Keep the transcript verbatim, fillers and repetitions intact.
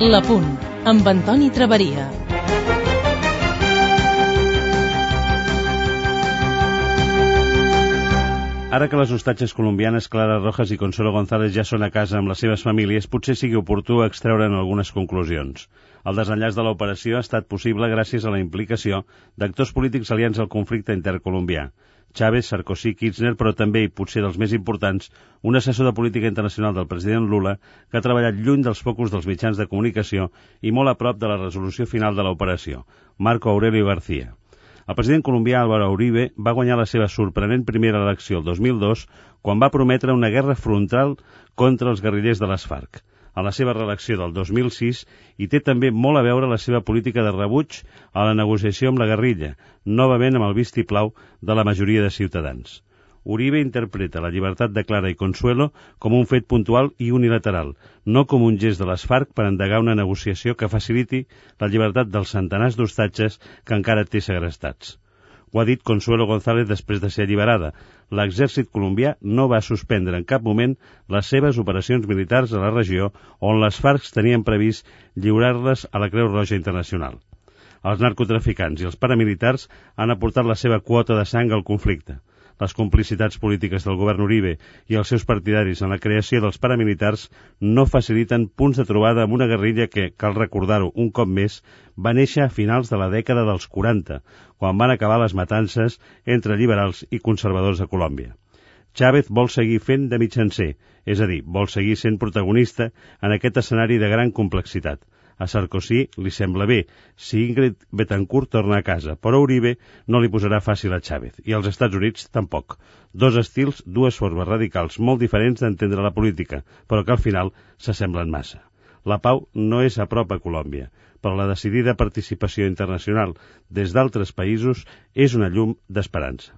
L'Apunt, amb Antoni Traveria. Ara que les ostatges colombianes Clara Rojas i Consuelo González ja són a casa amb les seves famílies, potser sigui oportú extreure'n algunes conclusions. El desenllaç de l'operació ha estat possible gràcies a la implicació d'actors polítics aliats al conflicte intercolombià. Chávez, Sarkozy, Kirchner, però també, i potser dels més importants, un assessor de política internacional del president Lula que ha treballat lluny dels focus dels mitjans de comunicació i molt a prop de la resolució final de l'operació, Marco Aurelio García. El president colombià Álvaro Uribe va guanyar la seva sorprenent primera elecció el dos mil dos quan va prometre una guerra frontal contra els guerrillers de les FARC. A la seva reelecció del dos mil sis hi té també molt a veure la seva política de rebuig a la negociació amb la guerrilla, novament amb el vistiplau de la majoria de ciutadans. Uribe interpreta la llibertat de Clara i Consuelo com un fet puntual i unilateral, no com un gest de les FARC per endegar una negociació que faciliti la llibertat dels centenars d'hostatges que encara té segrestats. Ho ha dit Consuelo González després de ser alliberada. L'exèrcit colombià no va suspendre en cap moment les seves operacions militars a la regió on les FARC tenien previst lliurar-les a la Creu Roja Internacional. Els narcotraficants i els paramilitars han aportat la seva quota de sang al conflicte. Les complicitats polítiques del govern Uribe i els seus partidaris en la creació dels paramilitars no faciliten punts de trobada amb una guerrilla que, cal recordar-ho un cop més, va néixer a finals de la dècada dels quaranta, quan van acabar les matances entre liberals i conservadors a Colòmbia. Chávez vol seguir fent de mitjancer, és a dir, vol seguir sent protagonista en aquest escenari de gran complexitat. A Sarkozy li sembla bé si Ingrid Betancourt torna a casa, però Uribe no li posarà fàcil a Chávez, i als Estats Units tampoc. Dos estils, dues formes radicals molt diferents d'entendre la política, però que al final s'assemblen massa. La pau no és a prop a Colòmbia, però la decidida participació internacional des d'altres països és una llum d'esperança.